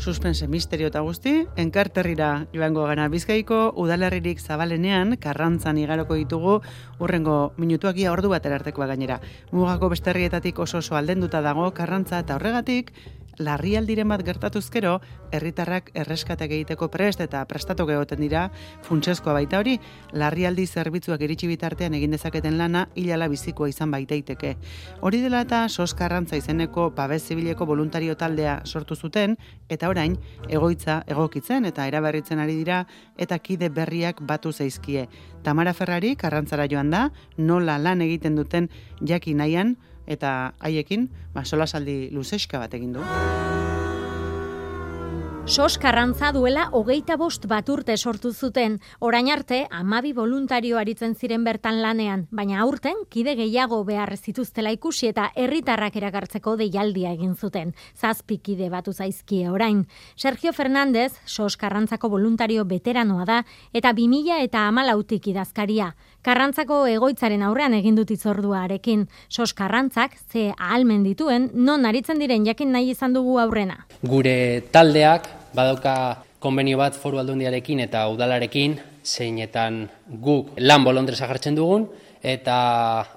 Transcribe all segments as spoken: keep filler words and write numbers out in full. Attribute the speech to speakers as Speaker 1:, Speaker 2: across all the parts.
Speaker 1: suspense, misterio eta guzti, enkarterrira joango gana. Bizkaiko udalerririk zabalenean, Karrantzan igaroko ditugu, urrengo minutuak ia ordu batera artekoa gainera. Mugako beste herrietatik oso oso aldenduta dago Karrantza eta horregatik, larrialdiren bat gertatuzkero, herritarrak erreskateak egiteko prest eta prestatok egoten dira, funtsezkoa baita hori, larrialdi zerbitzuak iritsi bitartean egin dezaketen lana hilala bizikoa izan baitaiteke. Hori dela eta Sos Karrantza izeneko babes zibileko voluntario taldea sortu zuten, eta orain egoitza egokitzen eta eraberritzen ari dira eta kide berriak batu zaizkie. Tamara Ferrari Karrantzara joan da, nola lan egiten duten jaki nahian, eta haiekin, ba, solasaldi luzeska bat egin du.
Speaker 2: Sos Karrantza duela hogeita bost bat urte sortu zuten, orain arte hamabi voluntario aritzen ziren bertan lanean, baina aurten kide gehiago behar zituztela ikusi eta herritarrak erakartzeko deialdia egin zuten. Zazpi kide batu zaizkie orain. Sergio Fernández, Sos Karrantzako voluntario veteranoa da eta bi mila eta hamalautik idazkaria. Karrantzako egoitzaren aurrean egin dut hitzordua harekin. Sos Karrantzak ze ahalmen dituen non aritzen diren jakin nahi izan dugu aurrena.
Speaker 3: Gure taldeak badauka konbenio bat Foru Aldundiarekin eta udalarekin, zeinetan guk lan bolondresa jartzen dugun eta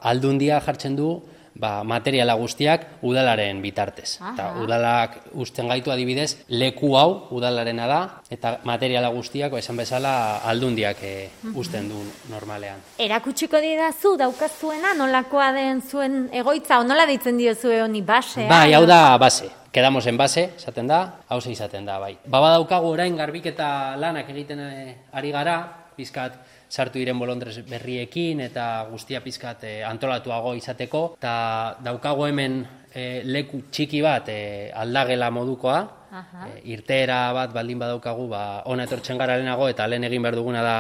Speaker 3: Aldundia jartzen du ba, materiala guztiak udalaren bitartez. Eta udalak usten gaitu adibidez, leku hau udalarena da eta materiala guztiak, esan bezala, Aldundiak e, usten du normalean.
Speaker 2: Erakutsiko didazu daukazuena nolakoa den zuen egoitza, o nola deitzen diozue honi basea?
Speaker 3: Bai, hau da base. Quedamos en base, esaten da, hauze izaten da, bai. Baba daukagu orain garbiketa lanak egiten ari gara, pizkat sartu diren bolondrez berriekin eta guztia pizkat e, antolatuago izateko, eta daukagu hemen e, leku txiki bat e, aldagela modukoa, e, irteera bat baldin badaukagu, ba, ona etortzen gara lehenago eta lehen egin behar duguna da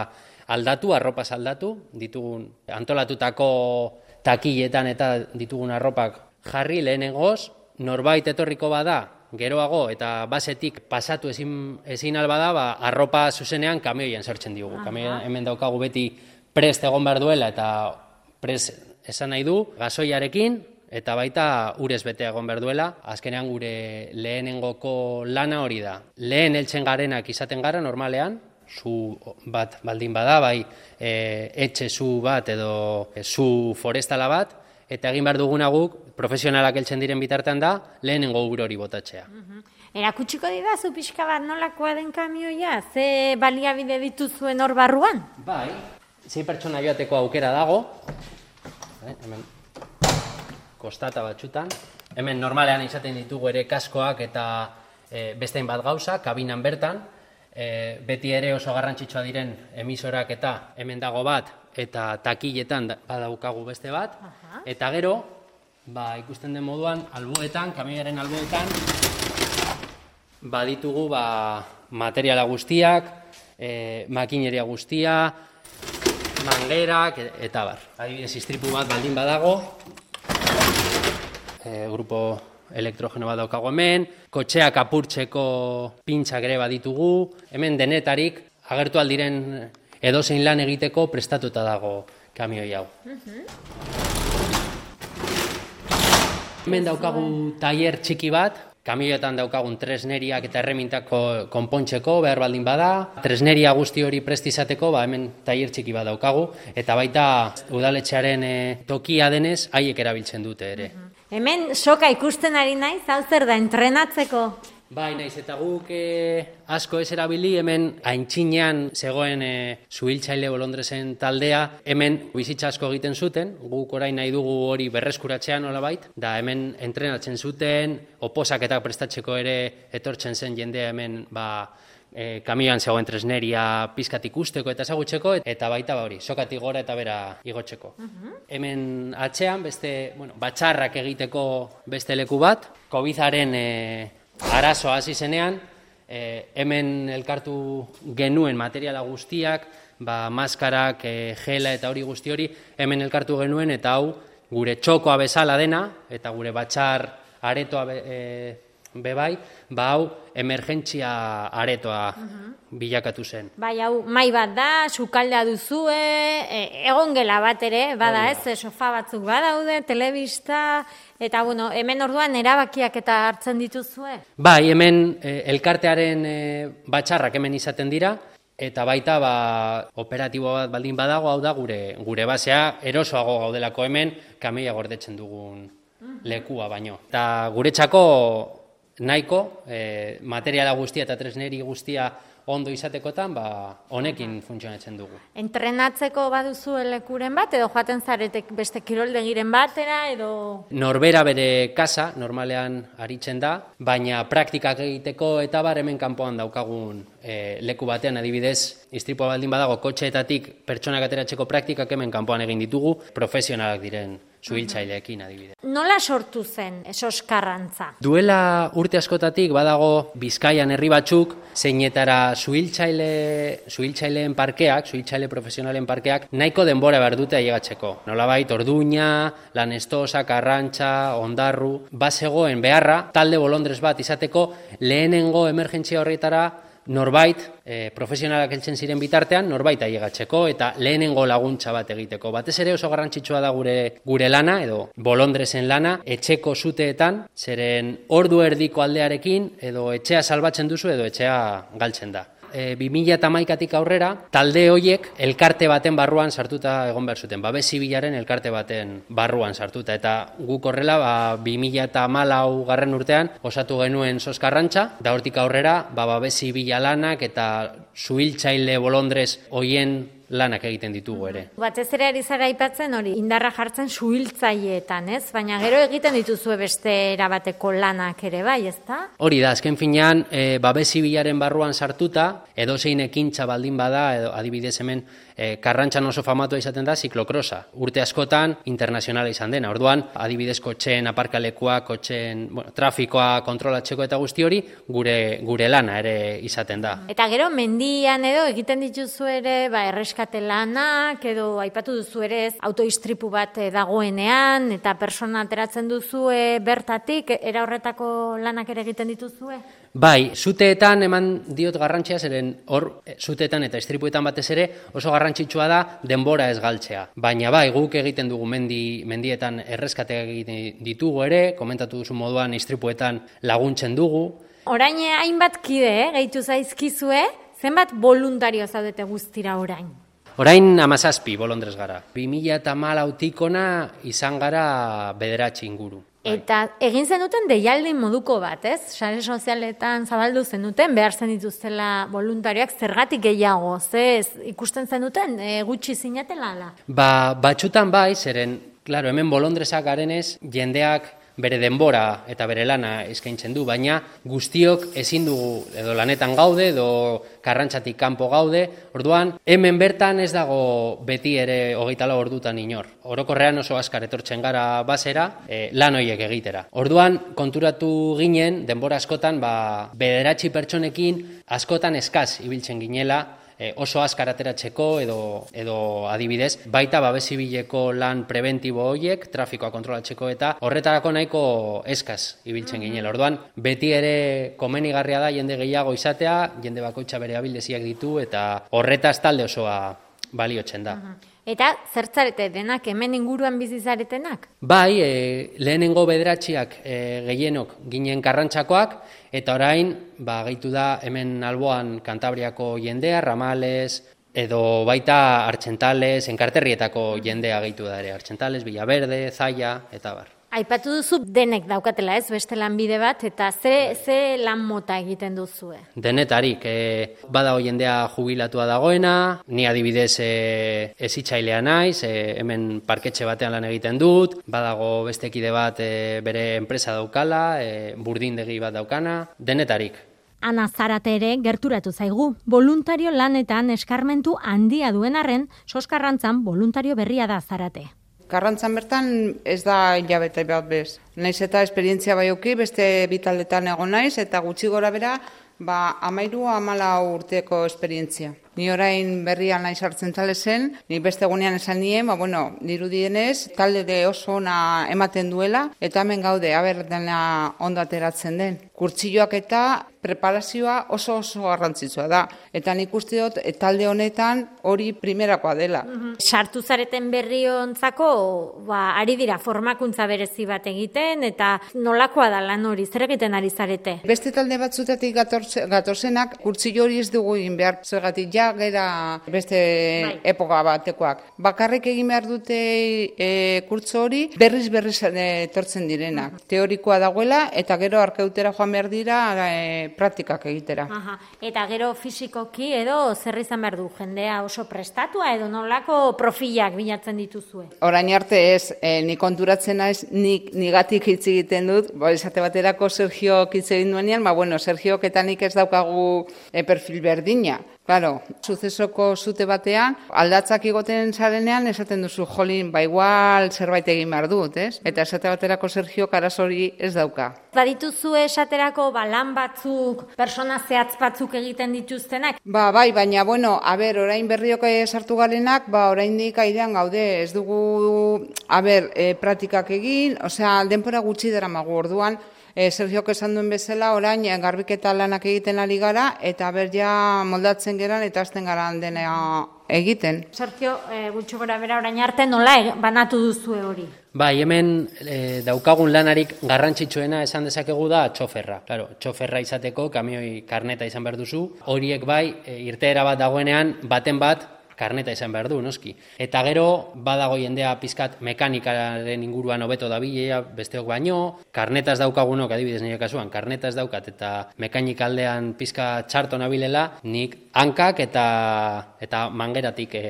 Speaker 3: aldatu, arropaz aldatu, ditugun antolatutako takilletan eta ditugun arropak jarri lehenengoz, norbait etorriko bada, geroago eta basetik pasatu ezin, ezin alba da, ba, arropa zuzenean kamioian sartzen diogu. Kamioian hemen daukagu beti prest egon behar duela eta prest esan nahi du, gasoiarekin eta baita urez bete egon behar duela. Azkenean gure lehenengoko lana hori da. Lehen heltzen garenak izaten gara normalean, zu bat baldin bada, bai e, etxe zu bat edo e, zu forestala bat, eta egin behar duguna guk, profesionalak heltzen diren bitartean da, lehenengo ur hori botatzea.
Speaker 2: Erakutsiko didazu pixka bat nolakoa den kamioia? Ze baliabide dituzuen hor barruan?
Speaker 3: Bai, sei pertsona joateko aukera dago, hemen kostata batxutan, hemen normalean izaten ditugu ere kaskoak eta e, bestein bat gauza, kabinan bertan, e, beti ere oso garrantzitsua diren emisorak eta hemen dago bat, eta takilletan badaukagu beste bat, eta gero, ba, ikusten den moduan, alboetan, kamioiaren alboetan, baditugu ba, materiala guztiak, e, makineria guztia, mangerak, eta bar. Adibidez, istripu bat baldin badago, e, grupo elektrogeno bat daukago hemen, kotxeak apurtzeko pintxak ere baditugu, hemen denetarik, agertu aldiren edozein lan egiteko prestatuta dago kamioi hau. Hemen daukagu tailer txiki bat, kamioetan daukagun tresneriak eta erremintako konpontzeko behar baldin bada. Tresneria guzti hori prest izateko, ba, hemen tailer txiki bat daukagu, eta baita udaletxearen e, tokia denez, haiek erabiltzen dute ere.
Speaker 2: Hemen soka ikusten ari naiz, hau zer da, entrenatzeko?
Speaker 3: Bai, naiz eta guk e, asko ez erabili, hemen aintzinean zegoen e, zuhiltzaile bolondrezen taldea, hemen bizitza asko egiten zuten, guk orain nahi dugu hori berreskuratzean nolabait, da hemen entrenatzen zuten, oposaketak prestatzeko ere etortzen zen jendea hemen ba, e, kamioan zegoen tresneria pizkat ikusteko eta ezagutzeko, eta baita ba hori, sokatik gora eta bera igotzeko. Hemen atzean, beste, bueno, batxarrak egiteko beste leku bat, Covidaren e, arazoa hasi zenean, e, hemen elkartu genuen materiala guztiak, ba, maskarak, e, gela eta hori guzti hori, hemen elkartu genuen eta hau gure txokoa bezala dena, eta gure batxar aretoa e, bebai, ba hau emergentzia aretoa bilakatu zen.
Speaker 2: Bai, hau, mai bat da, sukaldea duzue, e, egon gela bat ere, bada ez, e, sofa batzuk badaude, telebista, eta bueno, hemen orduan erabakiak eta hartzen dituzue?
Speaker 3: Bai, hemen e, elkartearen e, batxarrak hemen izaten dira, eta baita ba, operatibo bat baldin badago, hau da gure gure basea, erosoago gaudelako hemen, kameia gordetzen dugun lekua baino. Eta guretzako nahiko, e, materiala guztia eta tresneri guztia ondo izatekotan, ba, honekin funtzionatzen dugu.
Speaker 2: Entrenatzeko baduzu lekuren bat, edo joaten zaretek beste kiroldegiren batera, edo...
Speaker 3: Norbera bere kasa, normalean aritzen da, baina praktikak egiteko eta bar hemen kanpoan daukagun e, leku batean, adibidez, istripua baldin badago, kotxeetatik pertsonak ateratzeko praktikak hemen kanpoan egin ditugu, profesionalak diren suhiltzaileekin adibidez.
Speaker 2: Nola sortu zen Soskarrantza?
Speaker 3: Duela urte askotatik badago Bizkaian herri batzuk zeinetara suhiltzaile suhiltzaileen parkeak, suhiltzaile profesionalen parkeak nahiko denbora behar dute ailegatzeko. Nolabait Orduña, Lanestosa, Karrantza, Ondarru, bazegoen beharra talde bolondrez bat izateko lehenengo emergentzia horretara norbait, e, profesionalak heltzen ziren bitartean, norbait ailegatzeko eta lehenengo laguntza bat egiteko. Batez ere oso garrantzitsua da gure gure lana, edo bolondrezen lana, etxeko zuteetan, zeren ordu erdiko aldearekin, edo etxea salbatzen duzu, edo etxea galtzen da. E, bi mila hamaikatik aurrera, talde horiek elkarte baten barruan sartuta egon behar zuten, babes zibilaren elkarte baten barruan sartuta, eta guk horrela, ba, bi mila hamalau garren urtean, osatu genuen Soskarrantza, da hortik aurrera, ba, babes zibila lanak eta suhiltzaile bolondrez hoien lanak egiten ditugu ere.
Speaker 2: Batez ere ari zara aipatzen hori, indarra jartzen suhiltzaileetan, ez? Baina gero egiten dituzue beste erabateko lanak ere bai, ezta?
Speaker 3: Hori da, azken finean, e, babes zibilaren barruan sartuta, edozein ekintza baldin bada, edo adibidez hemen, e, Karrantzan oso famatua izaten da ziklokrosa. Urte askotan internazionala izan dena. Orduan, adibidez kotxeen aparkalekua, kotxeen, bueno, trafikoa kontrolatzeko eta guzti hori, gure gure lana ere izaten da.
Speaker 2: Eta gero mendian edo egiten dituzu ere, ba, erreskate lanak, edo aipatu duzu ere ez, autoistripu bat dagoenean, eta persona ateratzen duzue bertatik, era horretako lanak ere egiten dituzue?
Speaker 3: Bai, zuteetan eman diot garrantzia, zeren hor zuteetan eta istripuetan batez ere oso garrantzitsua da denbora ez galtzea. Baina bai, guk egiten dugu mendi, mendietan erreskateak egiten ditugu ere, komentatu duzu moduan istripuetan laguntzen dugu.
Speaker 2: Orain hainbat kide, eh, gehitu zaizkizue, zenbat voluntario zaudete guztira orain?
Speaker 3: Orain amazazpi bolondrez gara. bi mila hamalautik ona izan gara bederatzi inguru.
Speaker 2: Eta egin zenuten deialdi moduko bat, ez? Sare sozialetan zabaldu zenuten, behar zen dituztela voluntarioak, zergatik gehiago, ze ez, ikusten zenuten, e, gutxi zinatela ala?
Speaker 3: Ba, batxutan bai, zeren, claro, hemen bolondrezak garenez, jendeak bere denbora eta bere lana eskaintzen du, baina guztiok ezin dugu edo lanetan gaude, edo Karrantzatik kanpo gaude, orduan hemen bertan ez dago beti ere hogeita lau ordutan inor. Orokorrean oso azkar etortzen gara basera, e, lan horiek egitera. Orduan konturatu ginen, denbora askotan, ba, bederatzi pertsonekin askotan eskaz ibiltzen ginela, oso azkar ateratzeko edo, edo adibidez, baita babes zibileko lan preventibo horiek, trafikoa kontrolatzeko eta horretarako nahiko eskaz ibiltzen ginela. Orduan, beti ere komenigarria da jende gehiago izatea, jende bakoitza bere abildeziak ditu eta horretaz talde osoa baliotzen da.
Speaker 2: Eta zertzarete denak hemen inguruan bizi zaretenak?
Speaker 3: Bai, e, lehenengo bederatziak e, gehienok ginen Karrantzakoak, eta orain, ba, gehitu da hemen alboan Kantabriako jendea, Ramales, edo baita Artxentales, Enkarterrietako jendea gehitu da ere, Artxentales, Villaverde, Zaya, eta bar.
Speaker 2: Aipatu duzu denek daukatela ez, beste lanbide bat, eta ze, ze lan mota egiten duzue?
Speaker 3: Denetarik, e, badago jendea jubilatua dagoena, ni adibidez e, ezitzailea naiz, e, hemen parketxe batean lan egiten dut, badago beste kide bat e, bere enpresa daukala, e, burdindegi bat daukana, denetarik.
Speaker 2: Ana Zarate ere gerturatu zaigu. Voluntario lanetan eskarmentu handia duen arren, Soskarrantzan voluntario berria da Zarate.
Speaker 4: Karrantzan bertan ez da hilabete bat bez. Naiz eta esperientzia baioki, beste bitaldetan egon naiz, eta gutxi gora bera, ba, amairu amala urteko esperientzia. Ni orain berrian nahi sartzen tale zen, ni beste egunean esan nien, ba, bueno, dirudienez, talde de oso ona ematen duela, eta hemen gaude, aber dena ondo ateratzen den. Kurtsilloak eta preparazioa oso oso garrantzitsua da. Eta nik uste dut talde honetan hori primerakoa dela.
Speaker 2: Mm-hmm. Sartu zareten berriontzako, ba, ari dira formakuntza berezi bat egiten, eta nolakoa da lan hori, zer egiten ari zarete?
Speaker 4: Beste talde batzutatik gatorze, gatorzenak kurtsillo hori ez dugu egin behar, zergatik ja gera beste bai. Epoka batekoak. Bakarrik egin behar dute e, kurtso hori berriz berriz etortzen direnak. Mm-hmm. Teorikoa dagoela eta gero arkeutera joan behar dira e, praktikak egitera.
Speaker 2: Aha. Eta gero fisikoki edo zer izan behar du, jendea oso prestatua edo nolako profilak bilatzen dituzue?
Speaker 4: Orain arte ez, e, ni konturatzen naiz, nik nigatik hitz egiten dut, ba, esate baterako Sergio hitz egin duenean, ba, bueno, Sergiok eta nik ez daukagu e, perfil berdina. Claro, sucesoko zute batean, aldatzak igoten zarenean, esaten duzu, jolin, ba igual zerbait egin behar dut, ez? Eta esate baterako Sergio karaz hori ez dauka.
Speaker 2: Badituzu esaterako ba, lan batzuk, persona zehatz batzuk egiten dituztenak?
Speaker 4: Ba, bai, baina, bueno, a ber, orain berriok sartu garenak, ba, orain dik aidean gaude, ez dugu, a ber, e, praktikak egin, osea, denpora gutxi dara magu orduan, E, Sergiok esan duen bezala, orain garbiketa lanak egiten ari gara, eta ber ja moldatzen geran eta azten garan dena egiten.
Speaker 2: Sergio, e, gutxo gora bera orain arte nola e, banatu duzue hori?
Speaker 3: Bai, hemen e, daukagun lanarik garrantzitsuena esan dezakegu da txoferra. Claro, txoferra izateko kamioi karneta izan behar duzu. Horiek bai, e, irteera bat dagoenean, baten bat, karneta izan behar du, noski. Eta gero, badago jendea pizkat mekanikaren inguruan hobeto dabilea, besteok baino, karnetaz daukagunok, adibidez nire kasuan, karnetaz daukat eta mekanik aldean pizka txarto nabilela, nik hankak eta eta mangeratik e,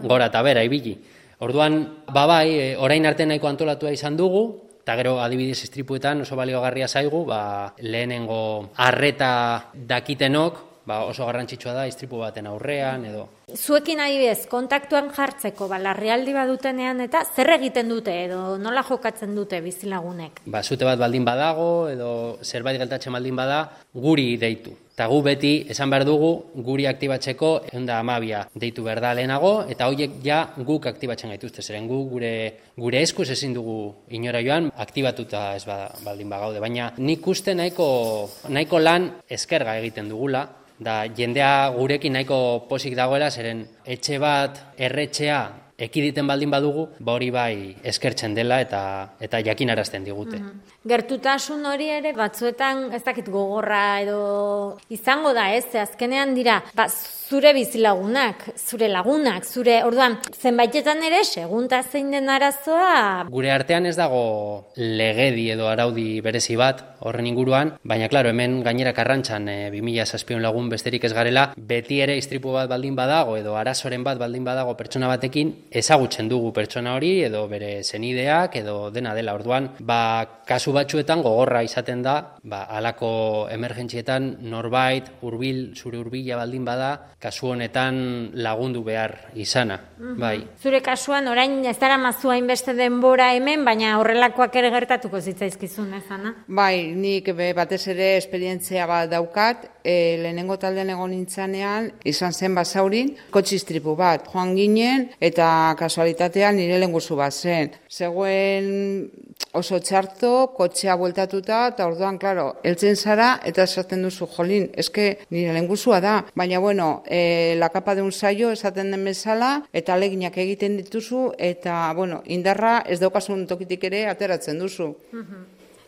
Speaker 3: gora eta bera ibili. Orduan, babai, e, orain arte nahiko antolatua izan dugu, eta gero adibidez istripuetan oso baliogarria zaigu, ba, lehenengo arreta dakitenok, ba, oso garrantzitsua da istripu baten aurrean edo.
Speaker 2: Zuekin adibidez, kontaktuan jartzeko, ba, larrialdi badutenean eta zer egiten dute edo nola jokatzen dute bizilagunek? Ba,
Speaker 3: zute bat baldin badago edo zerbait gertatzen baldin bada, guri deitu. Eta gu beti esan behar dugu guri aktibatzeko ehun eta hamabia deitu behar da lehenago, eta horiek ja guk aktibatzen gaituzte, zeren gu gure, gure eskuz ezin dugu inora joan, aktibatuta ez baldin bagaude. Baina nik uste nahiko, nahiko lan eskerga egiten dugula, da jendea gurekin nahiko posik dagoela, zeren etxe bat, erretxea, ekiditen baldin badugu, ba hori bai eskertzen dela eta eta jakinarazten digute.
Speaker 2: Mm-hmm. Gertutasun hori ere batzuetan ez dakit gogorra edo izango da, ez? Ze azkenean dira, ba, zure bizilagunak, zure lagunak, zure, orduan, zenbaitetan ere segunta zein den arazoa.
Speaker 3: Gure artean ez dago legedi edo araudi berezi bat horren inguruan, baina claro, hemen gainera Karrantzan e, bi mila zazpiehun lagun besterik ez garela, beti ere istripu bat baldin badago edo arazoren bat baldin badago pertsona batekin, ezagutzen dugu pertsona hori edo bere senideak edo dena dela. Orduan, ba, kasu batzuetan gogorra izaten da, ba, halako emergentzietan norbait hurbil, zure hurbila baldin bada, kasu honetan lagundu behar izana. Mm-hmm. Bai.
Speaker 2: Zure kasuan orain ez dara mazua hainbeste denbora hemen, baina horrelakoak ere gertatuko zitzaizkizun, ez ana?
Speaker 4: Bai, nik batez ere esperientzia bat daukat, e, lehenengo taldean egon nintzanean, izan zen basaurin, kotxistripu bat, joan ginen, eta kasualitatean nire lenguzu bat zen. Zegoen oso txarto, kotxea bueltatuta, eta orduan, klaro, heltzen zara, eta esaten duzu, jolin, eske nire lenguzua da. Baina, bueno, e, la capa de un saio esaten den bezala, eta aleginak egiten dituzu, eta, bueno, indarra ez daukasun tokitik ere ateratzen duzu.
Speaker 2: Mm-hmm.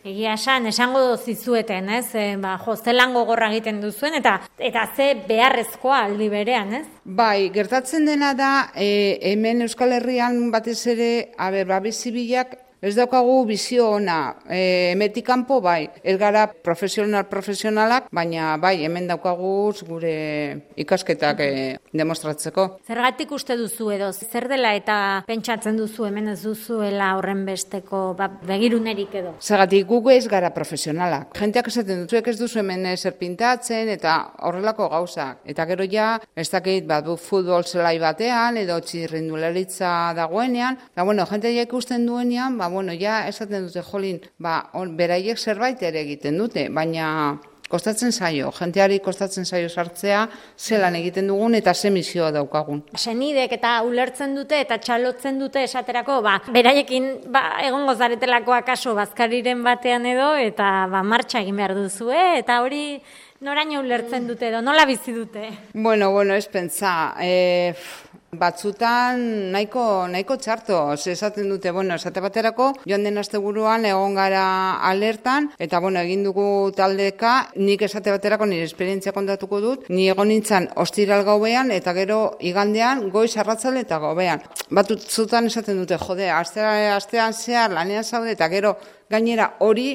Speaker 2: Egia esan, esango zizueten, ez? E, ba, jo, ze lan gogorra egiten duzuen, eta eta ze beharrezkoa aldi berean, ez?
Speaker 4: Bai, gertatzen dena da, e, hemen Euskal Herrian batez ere, a ber, babizibilak, ez daukagu bizio ona, e, emetik kanpo bai, ez gara profesional-profesionalak, baina bai, hemen daukagu gure ikasketak e, demostratzeko.
Speaker 2: Zergatik uste duzu edo, zer dela eta pentsatzen duzu hemen ez duzuela horren besteko ba, begirunerik edo?
Speaker 4: Zergatik gugu ez gara profesionalak. Jenteak esaten duzuek ez duzu hemen zer pintatzen eta horrelako gauzak. Eta gero ja, ez dakit bat futbol zelai batean edo txirrindularitza dagoenean, da bueno, jenteak ikusten duenean, ba bueno, ja esaten dute jolin, ba, on, beraiek zerbait ere egiten dute, baina Kostatzen zaio, jenteari kostatzen zaio sartzea, zelan egiten dugun eta ze misioa daukagun.
Speaker 2: Senidek eta ulertzen dute eta txalotzen dute esaterako, ba, beraiekin ba, egongo zaretelako akaso bazkariren batean edo, eta ba, martxa egin behar duzue, eta hori noraino ulertzen dute edo, nola bizi dute?
Speaker 4: Bueno, bueno, ez pentsa, e, batzutan nahiko, nahiko txarto, esaten dute, bueno, esate baterako, joan den asteburuan egon gara alertan, eta bueno, egin dugu taldeka, nik esate baterako nire esperientzia kontatuko dut, ni egon nintzen ostiral gauean, eta gero igandean goiz arratzalde eta gauean. Batzutan esaten dute, jode, astean, astean zehar lanean zaude, eta gero gainera hori,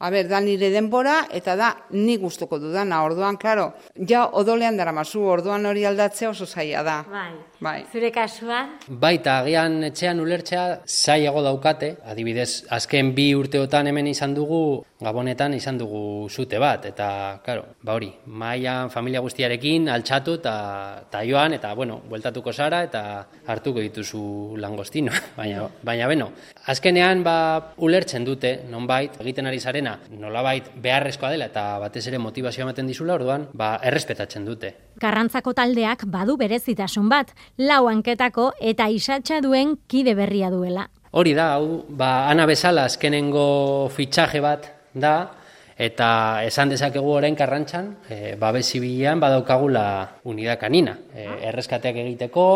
Speaker 4: a ber, da nire denbora, eta da ni gustuko dudana, orduan, klaro, ja odolean dara mazu, orduan hori aldatzea oso zaila da.
Speaker 2: Bai.
Speaker 4: Bai.
Speaker 2: Zure kasuan?
Speaker 3: Baita, agian etxean ulertzea zailago daukate, adibidez, azken bi urteotan hemen izan dugu, Gabonetan izan dugu zute bat, eta, karo, ba hori, mailan familia guztiarekin altxatu eta joan, eta, bueno, bueltatuko zara, eta hartuko dituzu langostino, baina, baina, beno, azkenean, ba, ulertzen dute, nonbait, egiten ari zarena, nolabait beharrezkoa dela, eta batez ere motivazioa ematen dizula, orduan, ba, errespetatzen dute.
Speaker 2: Karrantzako taldeak badu berezitasun bat, lau hanketako eta isatsa duen kide berria duela.
Speaker 3: Hori da, hau, ba, ana bezala azkenengo fitxaje bat da, eta esan dezakegu orain Karrantzan, e, babes zibilean badaukagula unidad kanina, e, erreskateak egiteko,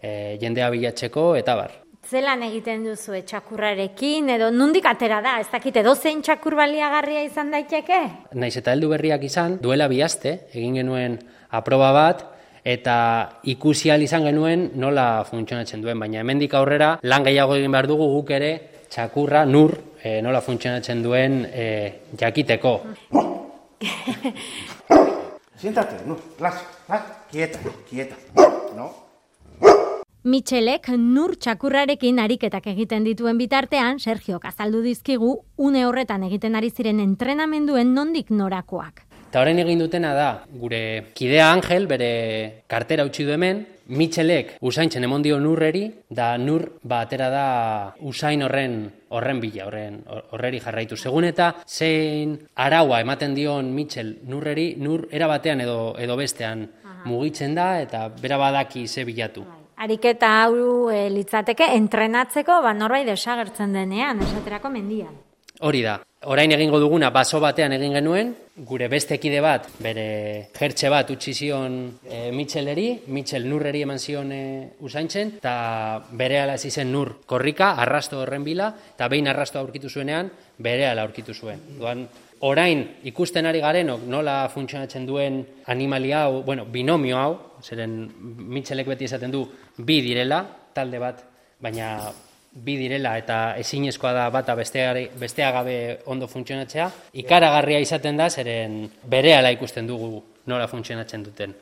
Speaker 3: e, jendea bilatzeko, eta bar.
Speaker 2: Zelan egiten duzu txakurrarekin, edo nondik atera da, ez dakit edozein txakur baliagarria izan daiteke?
Speaker 3: Naiz eta heldu berriak izan, duela bi aste, egin genuen aproba bat, eta ikusi ahal izan genuen nola funtzionatzen duen, baina hemendik aurrera lan gehiago egin behar dugu guk ere txakurra nur e, nola funtzionatzen duen e, jakiteko.
Speaker 5: Siéntate, no, las, las, quieta, quieta, no?
Speaker 2: Mitxelek nur txakurrarekin ariketak egiten dituen bitartean, Sergiok azaldu dizkigu, une horretan egiten ari ziren entrenamenduen nondik norakoak.
Speaker 3: Eta orain egin dutena da, gure kidea Angel, bere kartera utzi du hemen, Mitxelek usaintzen emon dio nurreri, da nur ba atera da usain horren horren bila, horren horreri jarraitu. Segun eta zein araua ematen dion Mitxel nurreri, nur era batean edo edo bestean mugitzen da eta bera badaki ze bilatu.
Speaker 2: Ariketa hau e, litzateke entrenatzeko ba norbait desagertzen denean, esaterako mendian.
Speaker 3: Hori da. Orain egingo duguna baso batean egin genuen, gure beste kide bat, bere jertxe bat utzi zion e, Mitxeleri, Mitxel nurreri eman zion e, usaintzen, eta berehala hasi zen nur korrika, arrasto horren bila, eta behin arrasto aurkitu zuenean, berehala aurkitu zuen. Duan, orain ikusten ari garenok nola funtzionatzen duen animalia hau, bueno, binomio hau, zeren Mitxelek beti esaten du bi direla, talde bat, baina bi direla eta ezinezkoa da bata bestea gabe ondo funtzionatzea, ikaragarria izaten da, zeren berehala ikusten dugu nola funtzionatzen duten.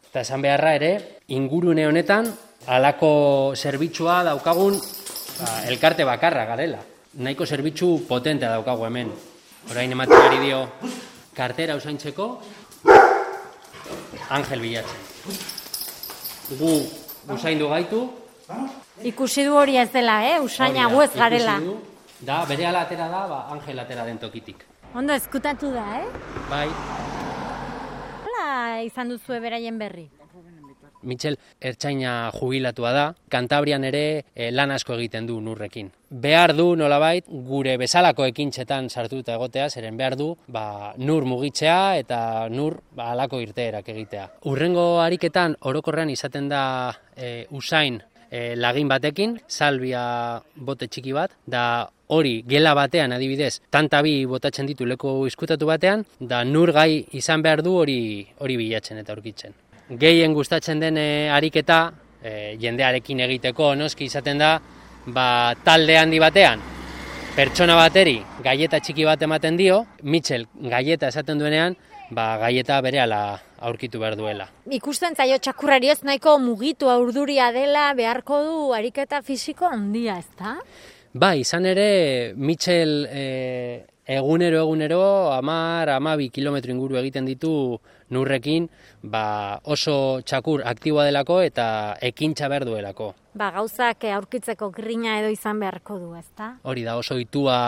Speaker 3: Eta esan beharra ere, ingurune honetan, halako zerbitzua daukagun ba, elkarte bakarra garela. Nahiko zerbitzu potentea daukagu hemen. Orain ematen ari dio kartera usaintzeko, Angel bilatzen. Gu usaindu gaitu,
Speaker 2: Ikusi du hori ez dela, eh? Usaina gu ez garela.
Speaker 3: Da, bere atera da, ba, Angel atera den tokitik.
Speaker 2: Ondo eskutatu da, eh?
Speaker 3: Bai.
Speaker 2: Hola izan duzu beraien berri.
Speaker 3: Mitxel ertzaina jubilatua da, Kantabrian ere e, lan asko egiten du nurrekin. Behar du nolabait gure bezalako ekintzetan sartuta egotea, zeren behar du ba, nur mugitzea eta nur ba, halako irteerak egitea. Hurrengo ariketan orokorrean izaten da e, usain e, lagin batekin, salbia bote txiki bat, da hori gela batean adibidez, tantabi botatzen ditu leko izkutatu batean, da nur gai izan behar du hori hori bilatzen eta aurkitzen. Gehien gustatzen den e, ariketa, e, jendearekin egiteko noski izaten da, ba, talde handi batean, pertsona bateri gaieta txiki bat ematen dio, Mitxel gaieta esaten duenean, ba, gaieta berehala aurkitu behar duela.
Speaker 2: Ikusten zaio txakurrari ez nahiko mugitu urduria dela beharko du ariketa fisiko handia, ezta?
Speaker 3: Ba, izan ere, Mitxel e, egunero egunero hamar, hamabi kilometro inguru egiten ditu nurrekin, ba, oso txakur aktiboa delako eta ekintza behar duelako.
Speaker 2: Ba, gauzak aurkitzeko grina edo izan beharko du, ezta?
Speaker 3: Hori da, oso itua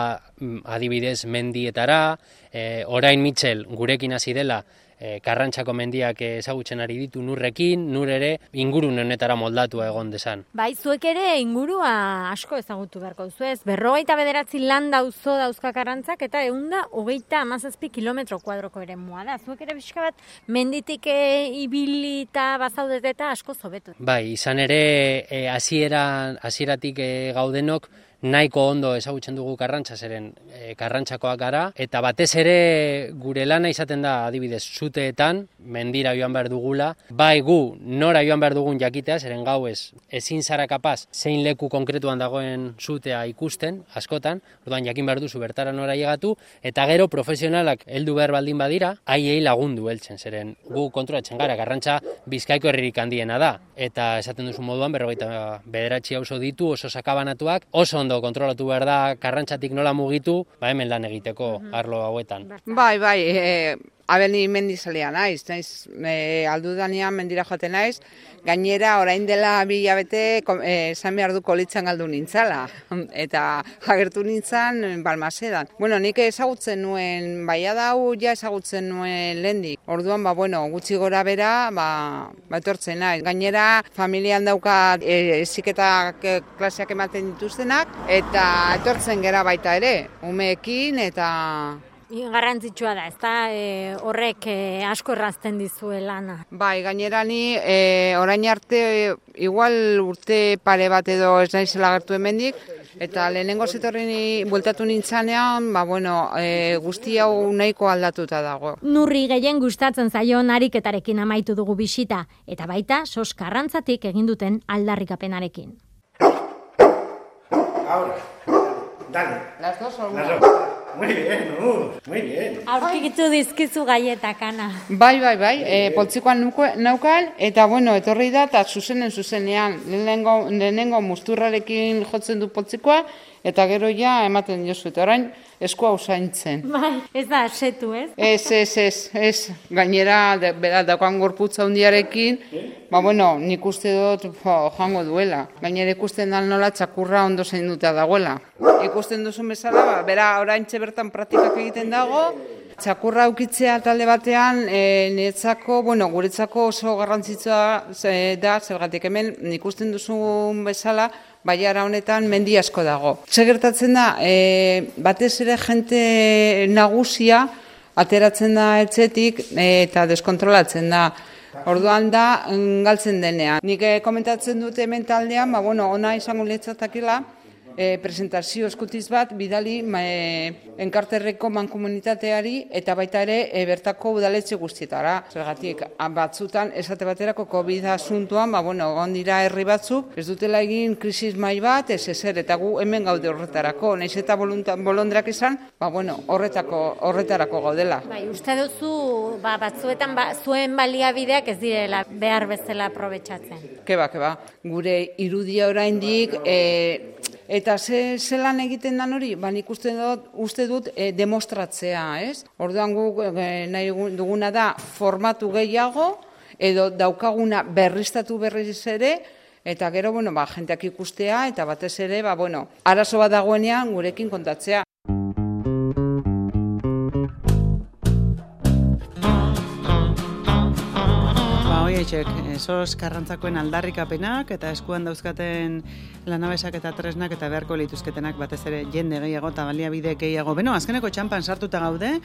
Speaker 3: adibidez mendietara, e, orain Mitxel gurekin hasi dela, e, Karrantzako mendiak ezagutzen ari ditu nurrekin, nur ere ingurune honetara moldatua egon desan.
Speaker 2: Bai, zuek ere ingurua asko ezagutu beharko duzu ez, berrogeita bederatzi lan dauzo dauzka Karrantzak eta ehunda hogeita hamazazpi kilometro kuadroko ere mua da. Zuek ere pixka bat menditik e, ibili eta bazaudete eta asko zobetu.
Speaker 3: Bai, izan ere e, hasieran hasieratik e, gaudenok nahiko ondo ezagutzen dugu Karrantza, zeren e, Karrantzakoak gara, eta batez ere gure lana izaten da adibidez zuteetan, mendira joan behar dugula, bai gu nora joan behar dugun jakitea, zeren gauez ezin zara kapaz zein leku konkretuan dagoen zutea ikusten, askotan, orduan jakin behar duzu bertara nora llegatu, eta gero profesionalak heldu behar baldin badira, haiei lagundu heltzen, zeren gu kontrolatzen gara, Karrantza Bizkaiko herririk handiena da, eta esaten duzu moduan berrogeita bederatzi auzo ditu, oso sakabanatuak, oso ondo kontrolatu behar da Karrantzatik nola mugitu, ba hemen lan egiteko arlo hauetan.
Speaker 4: Bai, bai, e, abeni mendizalea naiz, naiz e, aldudanean mendira joaten naiz, gainera orain dela bi hilabete esan behar du kolitzan galdu nintzala, eta agertu nintzan Balmasedan. Bueno, nik ezagutzen nuen, baia dau ja ezagutzen nuen lehendik. Orduan, ba, bueno, gutxi gora bera, ba, ba etortzen naiz. Gainera, familian dauka e, eziketak e, klaseak ematen dituztenak, eta etortzen gera baita ere, umeekin eta...
Speaker 2: Garrantzitsua da, ezta e, horrek e, asko errazten dizue lana.
Speaker 4: Bai, gainera ni e, orain arte e, igual urte pare bat edo ez naizela gertu hemendik, eta lehenengo zetorri bueltatu nintzanean, ba bueno, e, guzti hau nahiko aldatuta dago.
Speaker 2: Nurri gehien gustatzen zaion ariketarekin amaitu dugu bisita, eta baita Sos Karrantzatik egin duten aldarrikapenarekin.
Speaker 5: Ahora, dale.
Speaker 4: Las dos o una.
Speaker 5: Las dos. Muy bien, uh, muy bien.
Speaker 2: Aurkitu dizkizu gaietak, Ana.
Speaker 4: Bai, bai, bai, e, poltsikoan naukan, eta bueno, etorri da, eta zuzenen zuzenean, lehenengo, lehenengo musturrarekin jotzen du poltsikoa, eta gero ja ematen jozu, eta orain eskua usaintzen.
Speaker 2: Bai, ez da asetu, ez?
Speaker 4: Ez, ez, ez, ez, gainera, de, bera, daukan gorputza hundiarekin, ba, bueno, nik uste dut jo, joango duela. Gainera ikusten da nola txakurra ondo zainduta dagoela. Ikusten duzun bezala, ba, bera, oraintxe bertan praktikak egiten dago, txakurra aukitzea talde batean, e, niretzako, bueno, guretzako oso garrantzitsua da, zergatik hemen ikusten duzun bezala, baiara honetan mendi asko dago. Zer gertatzen da, e, batez ere jente nagusia ateratzen da etxetik e, eta deskontrolatzen da. Orduan da, galtzen denean. Nik e, komentatzen dute hemen taldean, ba, bueno, ona izango letzatakela, E, presentazio eskutiz bat bidali e, enkarterreko mankomunitateari eta baita ere e, bertako udaletxe guztietara. Zergatik, batzutan esate baterako COVID asuntuan, ba, bueno, egon dira herri batzuk, ez dutela egin krisis mai bat, ez ezer, eta gu hemen gaude horretarako. Naiz eta bolondrak izan, ba, bueno, horretako, horretarako gaudela.
Speaker 2: Bai, uste duzu ba, batzuetan ba, zuen baliabideak ez direla behar bezala aprobetxatzen.
Speaker 4: Keba, keba, gure irudia oraindik, e, eta ze, ze lan egiten dan hori, ba, nik uste dut, uste dut e, demostratzea, ez? Orduan guk e, nahi duguna da formatu gehiago, edo daukaguna berriztatu berriz ere, eta gero, bueno, ba, jenteak ikustea, eta batez ere, ba, bueno, arazo bat dagoenean gurekin kontatzea.
Speaker 1: Hoietxek, Sos Karrantzakoen aldarrikapenak eta eskuan dauzkaten lanabesak eta tresnak eta beharko lituzketenak batez ere jende gehiago eta baliabide gehiago. Beno, azkeneko txampan sartuta gaude,